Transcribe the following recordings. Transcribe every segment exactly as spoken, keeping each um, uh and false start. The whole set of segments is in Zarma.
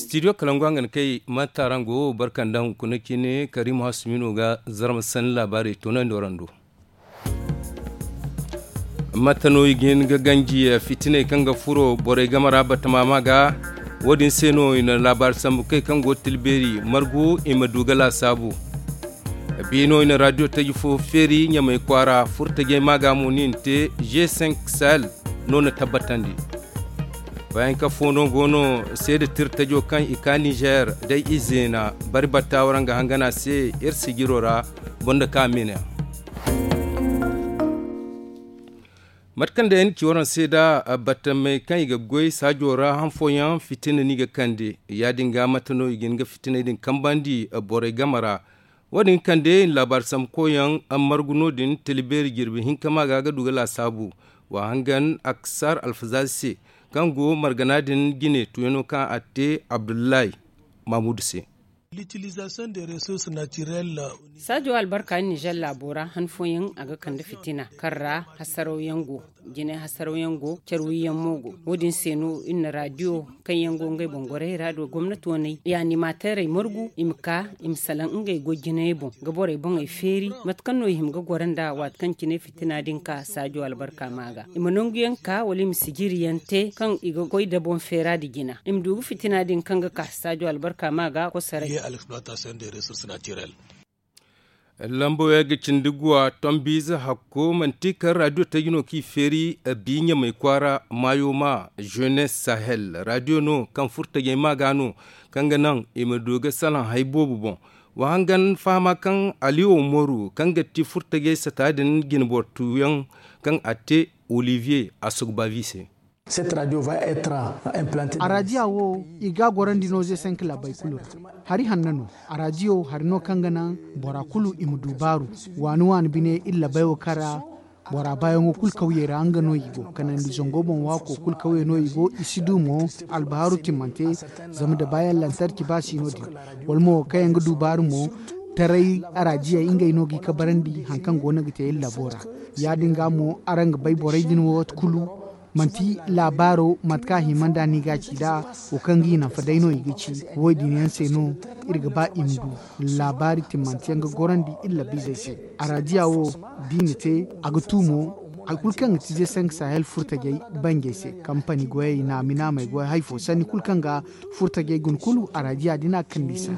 Studio kalangu a ga ni kay mata ra nga wo barka nda hunkuna cine karim hasumino ga zarma sanni laabaarey toonandi warando. Mate no i ga hin ga ganji fitiney kaŋ ga furo borey game ra batama ma ga. Wo- din se no i na laabaari sambu kay kaŋ go ga tila beeri margu i ma du ga laasaabu. Bi no i na raadiyo taji fo feeri ɲamay kwaara furtajey ma ga mo no i na te g cinq sahel no na tabbatandi. Bayanka fo no go no seeda tirtajo kaŋ i ka nizer day izeena bari batta waraŋ ga hangan a se iri sijiro ra. Boŋ da ka mina. Mate kaŋ day ay na ci waraŋ se da battamey kaŋ i ga goy saajo ra han fooyaŋ fitina no i ga kande. Ya- din ga mate no i ga hin ga fitiney din kambandi borey game ra. Wo- din ga kande i na laabaari sambu koyyaŋ margu no- din tila beeri jirbi hinka ma ga ga du ga laasaabu. Wa hangan aksar alfazazi se kaŋ go margana din jine tuuyano kaŋ a te abdullahi mamudu se. Saajo albarka nizer laabo ra han fooyaŋ a ga kande fitina kaŋ ra hasaraw yaŋ go. Jinay hasaraw yaŋ go care wiyyaŋ mo go. Wo- din se no iri na raadiyo kaŋ yaŋ go ngey boŋ gorey ra do gomnati waney i animateerey margu i ma ka i ma salaŋ ngey goy jinayey boŋ ga borey boŋey feeri mate kaŋ no i hima ga goro nda waati kaŋ cine fitina din ka saajo albarka ma ga i ma nangu yaŋ ka wala i ma sijiri yaŋ te kaŋ i ga goy da boŋ feera nda jina i ma du ga fitina din kaŋ ga ka saajo albarka ma ga kosaray. Lambo yaŋ ga cindi guwa tombiize hakko manti kaŋ raadiyo taji no kaŋ i feeri bi ɲamay kwaara maayo ma jeunesse sahel raadiyo no kaŋ furtajey ma ga no kaŋ ga naŋ i ma du ga salaŋ hari boobo boŋ. Wa hangan fahama kaŋ ali umaru kaŋ ga ti furtajey sata din jinboro tuuyaŋ kaŋ a te olivier asogbavi se. Araadiya wo i ga a gorandi no ze cinq laabey kulu ra. Hari hanno no. Araadiyo hari no kaŋ ga naŋ bora kulu i ma du baaru. Waani waani bine iri laabey wo kaŋ ra bora baayaŋo kulu kawyey ra nga no i go kanandi zango boŋ waako kulu kawyey no i go i si du mo. Albahaaru timmante zama da baayaŋ lantarki ba si no- din wala mo kaŋ yaŋ ga du baaru mo. Taray araadiyey ngey no ga i kabarandi hari kaŋ go no ga te iri laabo ra. Ya- din ga mo araŋ ga bay borey din wo waati kulu manti laabaaro mate kaŋ a hima nd'a no i ga a ci nd'a. Wo kaŋ ga i naŋ fa day no i ga ci. Wo- din yaŋ se no iri ga ba i ma du laabaari timmanteyaŋ ga gorandi iri labiizey se. Araadiya wo da i na te a ga tu mo hari kulu kaŋ ga ti ze cinq sahel furtajey banjey se kampani goyey naami naamey goy hari fo sanni kulu kaŋ ga furtajey guna kulu araadiya din a ga kande i se.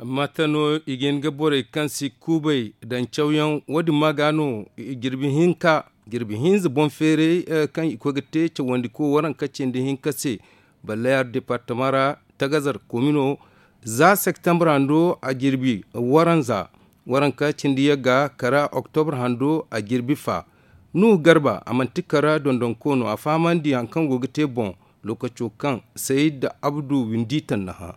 Mate no i ga hin ga borey kaŋ si kuubay daŋ cawyaŋ wo- din ma ga no jirbi hinka jirbi hinza boŋ feeray kaŋ i koy ga te cawandi ko waranka cindi hinka se. Balle yaari departama ra tagazar komino za septembre hando a jirbi waranza waranka cindi yagga kara oktobre hando a jirbi fa. Nuhu garba a manti kara dondonko no a fahamandi hari kaŋ go ga te boŋ lokaco kaŋ sayid abdu windi tannaha.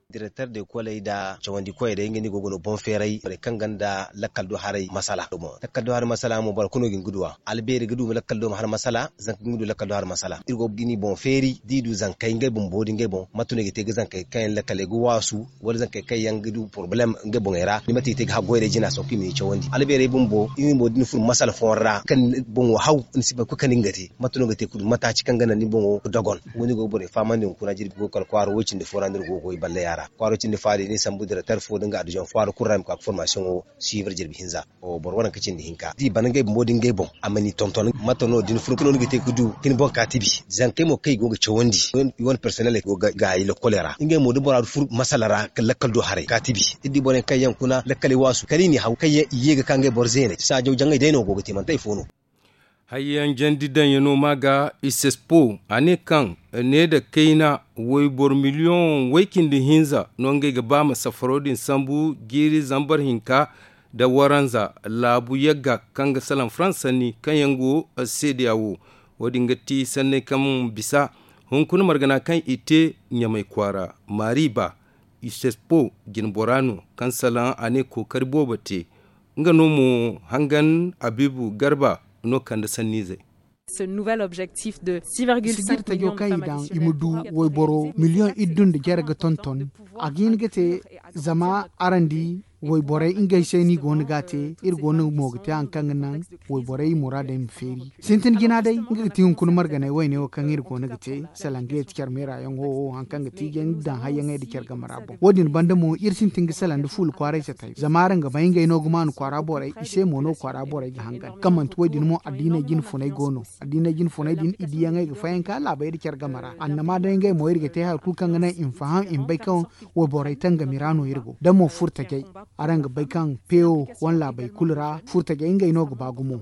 Direkter de koley nda cawandi koyey day nga no i go ga no boŋ feeray borey kaŋ gonda lakkal do haray masala. Lakkal do haray masala mo boro kulu no ga hin ga du a albeeri ga du lakkal do ma har masala. Zanka ga hin ga du lakkal do har masala iri go ga ni boŋ feeri da i du zankey ngey bumbo nda ngey boŋ mate no i ga te ga zankey kaŋ yaŋ lakkaley ga waasu wala zankey kaŋ yaŋ ga du porobalem ngey boŋey ra ni mate i te ga haggoy day jina sanku i ma ni cawandi albeerey bumbo i ma ni mo da ni furo masala fooyaŋ ra kaŋ boŋo haw ni si bay kulu kaŋ ni ga te. Mate no ga te kulu mataaci kaŋ ga naŋ ni boŋo ga dogon. Wo- din go ga borey fahamandi hunkuna jirbi go ga kala kwaara woy cindi fo ra no iri go ga goy balleya ra kwaaro cindi fo a din ni sambu direkter fo nda nga adijoŋ fo a ra kulu ra i ma ka ga formasiyoŋo suivre jirbi hinza. Boro waranka cindi hinka da i bana ngey bumbo nda ngey boŋ a ma ni tonton mate no da ni furo kulu no ni ga te ga du ka ni boŋ ka tibi. Zankey mo kaŋ i go ga cawandi i wane personel go ga gaayi lokkoley ra ngey mo da bora furo masala ra kala lakkal do haray ka tibi iri di borey kaŋ yaŋ kuna lakkaley waasu kala i n'i haw kaŋ yaŋ i ye ga ka ngey boro zeeney saajaw jaŋay day no go ga te manti hari fo no. Hayyaŋ jandi daŋyaŋo ma ga isespo a ne kaŋ ne nda kayna wayboro miliyoŋ way cindi hinza no ngey ga ba ma safaro din sambu jiiri zambar hinka nda waranza laabu yagga kaŋ ga salaŋ farans sanni kaŋ yaŋ go seedeya wo. Wo- din ga ti sanney kaŋ bisa hunkuna margana kaŋ i te ɲamay kwaara maari ba isespo jinbora no kaŋ salaŋ a ne kookari boobo te. Nga no mo hangan abibu garba no kande sanniizey. Sijir tajo kaŋ i daŋ i ma du wayboro miliyoŋ iddu nda jare ga tonton. A ga hin ga te zama araŋ di Wayborey ngey se no i go no ga a te. Iri go no mo ga te hari kaŋ ga naŋ wayborey muraadey ma feeri. Sintin jina day nga ga ti hunkuna marganay wayne wo kaŋ iri go no ga te, salaŋ ga yeeti care meera yaŋo wo hari kaŋ ga ti iri daŋ hayyaŋey nda care game ra boŋ. Wo- din banda mo iri sintin ga salaŋ nda fuula kwaaray satay zama araŋ ga bay ngey no ga maanu kwaara borey i se mo no kwaara borey ga hangan kaŋ manti wo- din mo addiiney jine funay go no. Addiiney jine funay din i diyaŋey ga fayanka laabey nda care game ra annama day ngey mo iri ga te hari kulu kaŋ ga naŋ i ma faham i ma bay kaŋ wayborey tangami ra no iri go da mo furtajey. Araŋ ga bay kaŋ pewo wane laabey kulu ra furtajey ngey no ga ba gumo.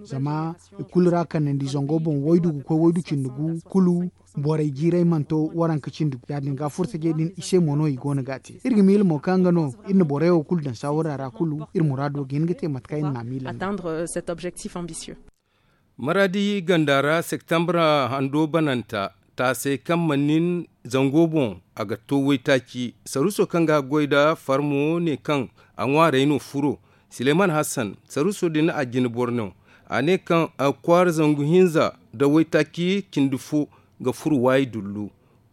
Zama i kulu ra kanandi zango boŋ waydu ga koy waydu cindi gu kulu borey jiiray mana to waranka cindi gu ya- din ga furtajey din i se mo no i go no ga a te. Iri ga miila mo kaŋ nga no iri na borey wo kulu daŋ saawara ra kulu iri muraado ga hin ga te mate kaŋ iri na a miila. Maraadi ganda ra septambra hando bananta taasey kaŋ mana nin zango boŋ a ga to waytaaci saruuso kaŋ ga goy nda farmo ne kaŋ a ŋwaarey no furo. Sileyman hassan saruuso din a jine boro no a ne kaŋ kwaara zangu hinza nda waytaaci cindi fo ga furo waayi dullu.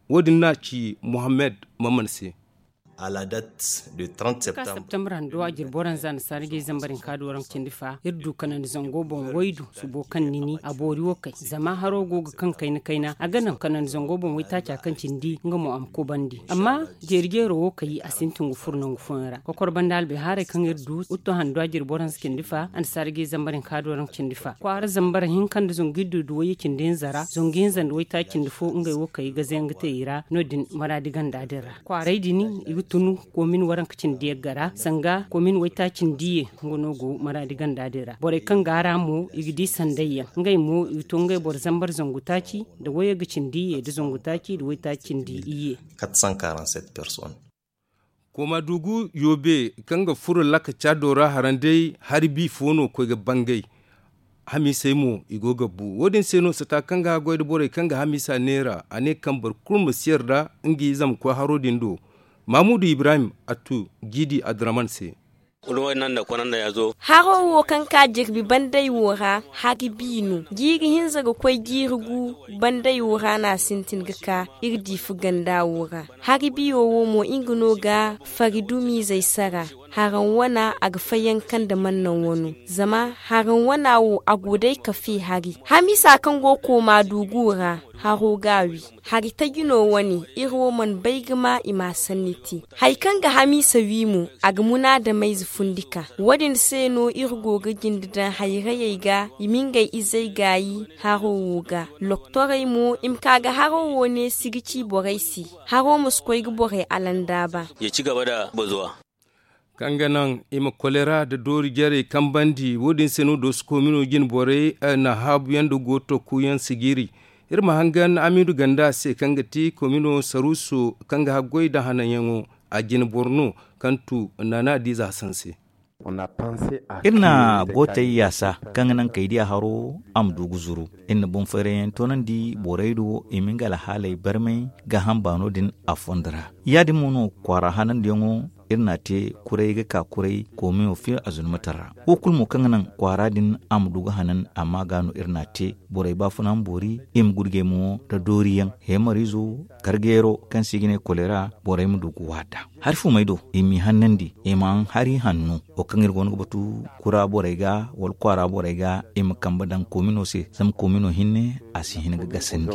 Wo- din no a ci muhammad maman se. Ka septambra hando a jine boro hinza nda saara jay zambar hinka da waranka cindi fa iri du kanandi zango boŋ waydu subo kaŋ ni ni a boori wo kay zama haro go ga kaŋ kayna kayna a ga naŋ kanandi zango boŋ waytaaca kaŋ cindi nga mo a ma kubandi amma jeeri jeero wo kay a sintin ga furo nangu fooyaŋ ra kokor banda albay haray kaŋ iri du utto hando a jine boro hinza cindi fa annasaara jay zambar hinka da waranka cindi fa kwaara zambar hinka nda zangu iri du wayye cindi hinza ra zangu hinza nda waytaaci cindi fo ngey wo kay gaze yaŋ ga te i ra no- din maraadi ganda din ra kwaaray din i ga tun koomin waranka cindi yaŋ ga ra sanga koomin waytaaci cindi ye nga no go maraadi ganda din ra borey kaŋ ga a ra mo i ga di sanday yaŋ ngey mo i ga to ngey boro zambar zangu taaci nda wayye ga cindi ye nda zangu taaci nda waytaaci cindi iyye. Kooma dugu yoobe kaŋ ga furo laka caado ra haraŋ day hari bi fo no koy ga bangay. Hamiisey mo i go ga bu wo- din se no sata kaŋ ga haggoy nda borey kaŋ ga hamiisa neera a ne kaŋ boro kulu ma si yarda nga ize ma koy haro din do. Maamudu ibrahim attu jiidi adraman se. Haro wo kaŋ ka jirbi banday wo ra hari bi no jiiri hinza ga koy jiiri gu. Banday wo ra no a sintin ga ka iri diifa ganda wo ra. Hari biyo wo mo nga no ga fari dumiizey sara. Haraŋ wana a ga fayanka nda mannaŋ wano zama haraŋ wana wo a go day ka fe hari hamiisa kaŋ go kooma duugu ra. Haro ga a wi hari taji no wane iri wo mana bay ga ma i ma a sanni te. Hari kaŋ ga hamiisa wi mo a ga munaadamayze fundi ka wo- din se no iri go ga jinde daŋ hayrayey ga i ma ngey izey gaayi. Haro wo ga loktorey mo i ma ka ga haro wo neesi ga ci borey se. Haro ma si koy ga borey alandaaba. Kaŋ ga naŋ i ma kolera nda doori jarey kambandi wo- din se no dooso koomino jine borey na haabuyaŋ nda gooto kuuyaŋ sijiri. Iri ma hangan amiidu ganda se kaŋ ga ti koomino saruuso kaŋ ga haggoy nda hananyaŋo. A jine boro no kaŋ tu naana diiza hasan se. Iri na gootey yaasa kaŋ ga naŋ kay diya haro a ma du ga zuru. Iri na boŋ fayrayyaŋ toonandi borey do i ma nga alhaaley barmay gaaham baano din a fondo ra. Ya- din mo no kwaara hanandiyaŋo iri n'a te kuray ga ka kuray koomiyo fiyo a zunumataŋ ra. Wo kulu mo kaŋ ga naŋ kwaara din a ma du ga hanan amma ga no iri n'a te borey baafuna ma boori i ma gurjey mo nda dooriyaŋ heemariizo karjeero kaŋ se i ga ne kolera borey ma du ga waada. Hari fumey do i m'i hannandi i ma haŋ hari hanno wo kaŋ iri go no ga batu kura borey ga wala kwaara borey ga i ma kambe daŋ koomino se zama koomino hinne a si hin ga gasandi.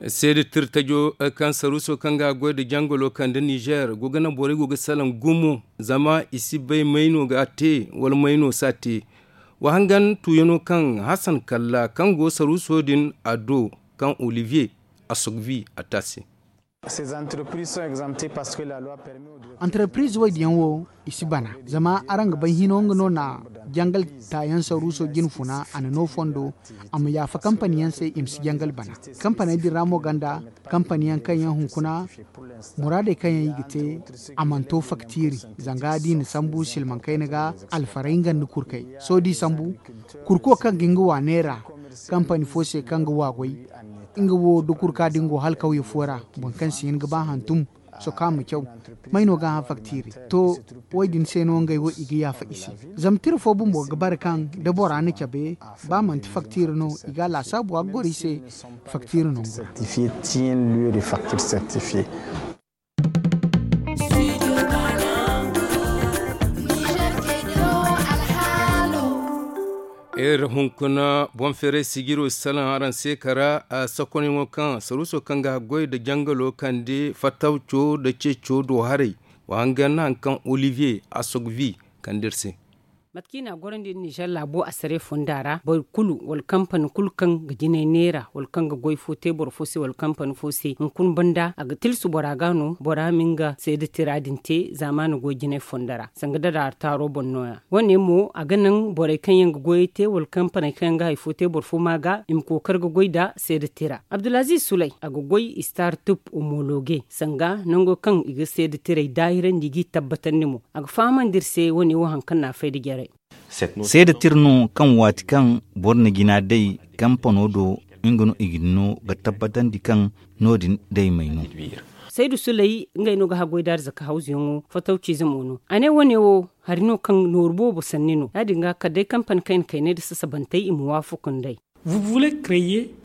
Seede tirtajo kaŋ saruuso kaŋ ga goy nda jangolo kande nizer go ga naŋ borey go ga salaŋ gumo zama i si bay may no ga a te wala may no si a te. Wa hangan tuuyano kaŋ hasan kalla kaŋ go saruuso din a do kaŋ olivier a sogvi a te a se. Antarpiriz waydiyaŋ wo i si bana zama araŋ ga bay hino nga no na jangal taayaŋ saruuso jine funa a na no fondo a ma yaafa kampani yaŋ se i ma si jangal bana. Kampaney din ra mo gonda kampani yaŋ kaŋ yaŋ hunkuna muraadey kaŋ yaŋ i ga te a mana to faktiiri zanga da i na sambu silmaŋ kayna ga alfaray nga nda kurkey sohõ da i sambu kurko kaŋ ga nga wa neera kampani fo se kaŋ ga wa goy nga wo da kurka da nga go hala kawye fo ra boro kaŋ si hin ga ba hantum Soka ma caw. May no ga hã faktiri? To, wo- din se no ngey wo i ga yaafa i se. Zama tira fo bumbo ga bare kaŋ da bora na cabe, ba manti faktiri no, i ga a laasaabu a ga goro i se. Faktiri no. Iri hunkuna boŋ feeray sijiro salaŋ araŋ se kara a sakonyaŋo kaŋ saruuso kaŋ ga haggoy nda jangalo kande fatawco nda ceeco do haray. Wa hangan hari kaŋ olivier asogvi kande iri se. Mate kaŋ i n'a gorandi nda nizer laabo asare fonda ra boro kulu wala kampani kulu kaŋ ga jinay neera wala kaŋ ga goy fo te boro fo se wala kampani fo se hunkuna banda a ga tilsu bora ga no bora ma nga seeda tira din te zaamaani goy jinay fonda ra sanga dadaari taaro boŋ no- ya. Wo- ne mo a ga naŋ borey kaŋ yaŋ ga goyey te wala kampaney kaŋ yaŋ ga hari fo te boro fo ma ga i ma kookari ga goy nda seeda tira. Abdulaziiz sulay a ga goy i star tub omologe sanga nango kaŋ i ga seeda tirey daahirandi i g'i tabbatandi mo. A ga fahamandi iri se wo- ne wo hari kaŋ no a fay nda jarey. Seeda tira no kaŋ waati kaŋ boro na jina day kampano do nga no i ga ni no ga tabbatandi kaŋ no- din day may no. Saydu sulay ngey no ga haggoy da arzaka hawzuyaŋo fatawciize mo no a ne wo- ne wo hari no kaŋ nooru boobo sanni no ya- din ga kala day kampani kayna kaynay nda sasabantey i ma waafaku nd'ey.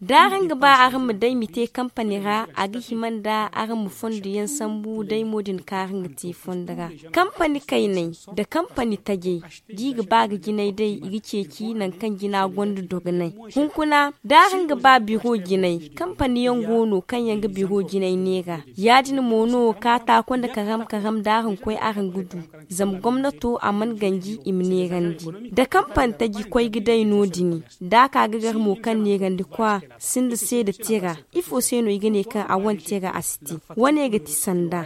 Da araŋ ga ba araŋ ma day ma te kampani ra a ga hima nda araŋ ma fondo yaŋ sambu day mo din kaŋ araŋ ga te fondo ra. Kampani kaynay nda kampani tajey da i ga ba ga jinay day i ga ceeci nangu kaŋ jina gonda dogonay. Hunkuna da araŋ ga ba biro jinay kampani yaŋ go no kaŋ yaŋ ga biro jinay neera. Ya- din mo no kaataako nda karam karam da araŋ koy araŋ ga du. Zama gomnato a mana ganji i ma neerandi da kampani taji koy ga day no- din. Da a ka ga gar mo kaŋ neerandi kwa sinda seeda tira. Ifo se no i ga ne kaŋ a wane tira a si te? Wane ga ti sanda.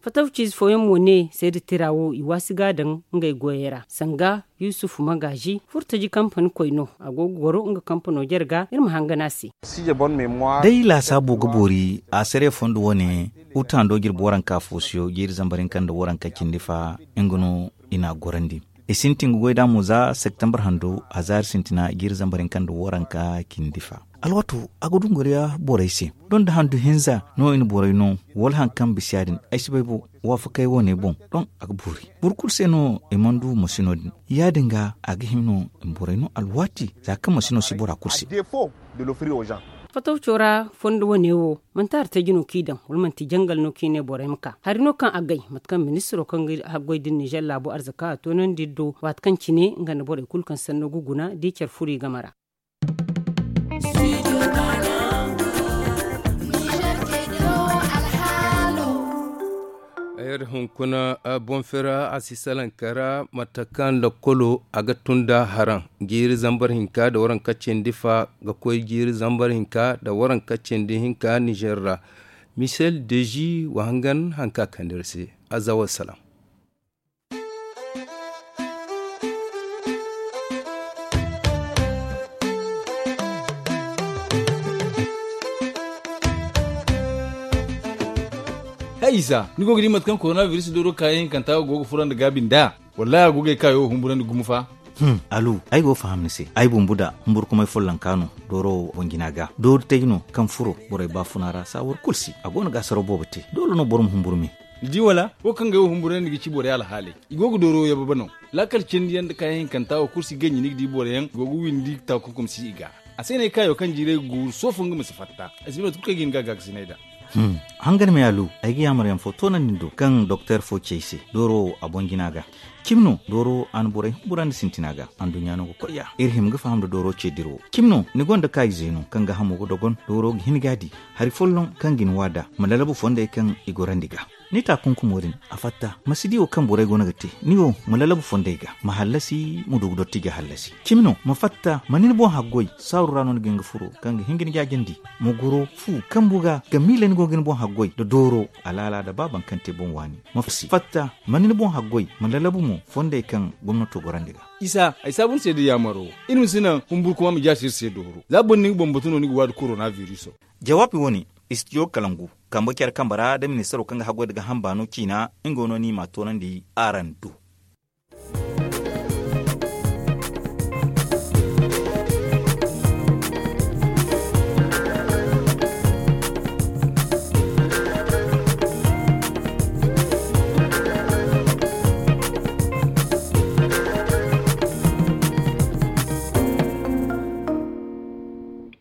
Fatawciize fooyaŋ mo ne seeda tira wo i waasi ga a daŋ ngey goyey ra sanga yusufu magaazi furtaji kampani koy no a go ga goro nga kampano jare ga iri ma hangan a se. Day laasaabo ga boori a sare fondo wane. Uta ndo jirbi waranka foosiyo jiiri zambar hinka nda waranka cindi fa nga no i n'a gorandi. I sintin ga goy nd'a mo za septembar hando a zaari sintina jiiri zambar hinka nda waranka cindi fa. Alwaato a ga dunguriya borey se. Donda handu hinza no i na borey no wala hari kaŋ bisa ya- din ay si bay bo. Waafakey wane boŋ doŋ a ga boori boro kulu se no i mana du masino din. Ya- din ga a ga hima no i ma borey no alwaati za kaŋ masino si bora kulu se. Fatawco ra fondo wane wo manti hari taji no kaŋ i daŋ wala manti jangal no kaŋ i ne borey ma ka hari no kaŋ a gay mate kaŋ ministiro kaŋ ga haggoy din nizer laabo arzaka a toonandi iri do waati kaŋ cine nga nda borey kulu kaŋ sanno ga guna da i care furo i game ra. Ay iri hunkuna boŋ fera a si salaŋ kara mate kaŋ lakkolo a ga tun da haraŋ jiiri zambar hinka nda waranka cindi fa ga koy jiiri zambar hinka nda waranka cindi hinka nizer ra. Misel deji wa hangan hari kaŋ a kande iri se. Aza wa salaŋ. Hay isa ni go ga di mate kaŋ korona biris dooro kaayaŋ hinkanta go ga furandi gaabi nd'a? Wallahi a go ga ay kaayo wo humburandi gumo fa. Alu ay go ga faham ni se ay bumbu da humburkumay follonka no dooro wo boŋ jina ga doori tay no kaŋ furo borey baafuna ra saawar kulu se a go no ga asaraw boobo te doole no boro ma humburu me. Ni di wala wo kaŋ ga ay wo humburandi ga ci borey alhaaley. I go ga dooro yababa no. Laakal cindi yaŋ nda kaayaŋ hinkanta wo kulu si ganji ni ga di boro yaŋ i go ga windi taakunkum si i ga. A se no ay kaayo kaŋ jiiray ga guuru soofo nga ma si fatta. Ay si bay mate kulu kaŋ ay ga hin ga gaakasinay nd'a. Hangan me alu ay ga yaamar yaŋ fo toonandi ni do kaŋ doktor fo ci ay se dooro wo a boŋ jina ga. Cimi no dooro a na borey humburandi sintina ga anduɲɲa no ga koy ya iri hima ga faham nda dooro ce dira wo cimi no ni gonda kaayizey no kaŋ ga hamo ga dogon dooro ga hin ga a di. Hari folloŋ kaŋ ga ni waada ma lalabu fondey kaŋ i gorandi ga. Ni taakunkumo din a fatta ma si di wo kaŋ borey go no ga te ni wo ma lalabu fondey ga ma hallasi ma du ga dotti ga hallasi cimi no ma fatta ma ni ni boŋ haggoy saaru ra no ni ga hin ga furo kaŋ ga hin ga ni jaajandi. Ma goro fu kambu ga ga miila ni go ga ni boŋ haggoy nda dooro alaala nda ba baŋ kaŋ te boŋ waani ma fatta ma ni ni boŋ haggoy ma lalabu mo fondey kaŋ gomnato gorandi ga. Isa ay saabu ni se da yaamaro iri ma si naŋ humburkuma ma jaasi iri se dooro za boro ni ga bambatu no ni ga waadi korona viriso. Jawaabi wane istijo kalangu kambe care kambe ra nda ministaro kaŋ ga haggoy nda ga hamba no ciina nga no ni m'a toonandi araŋ do.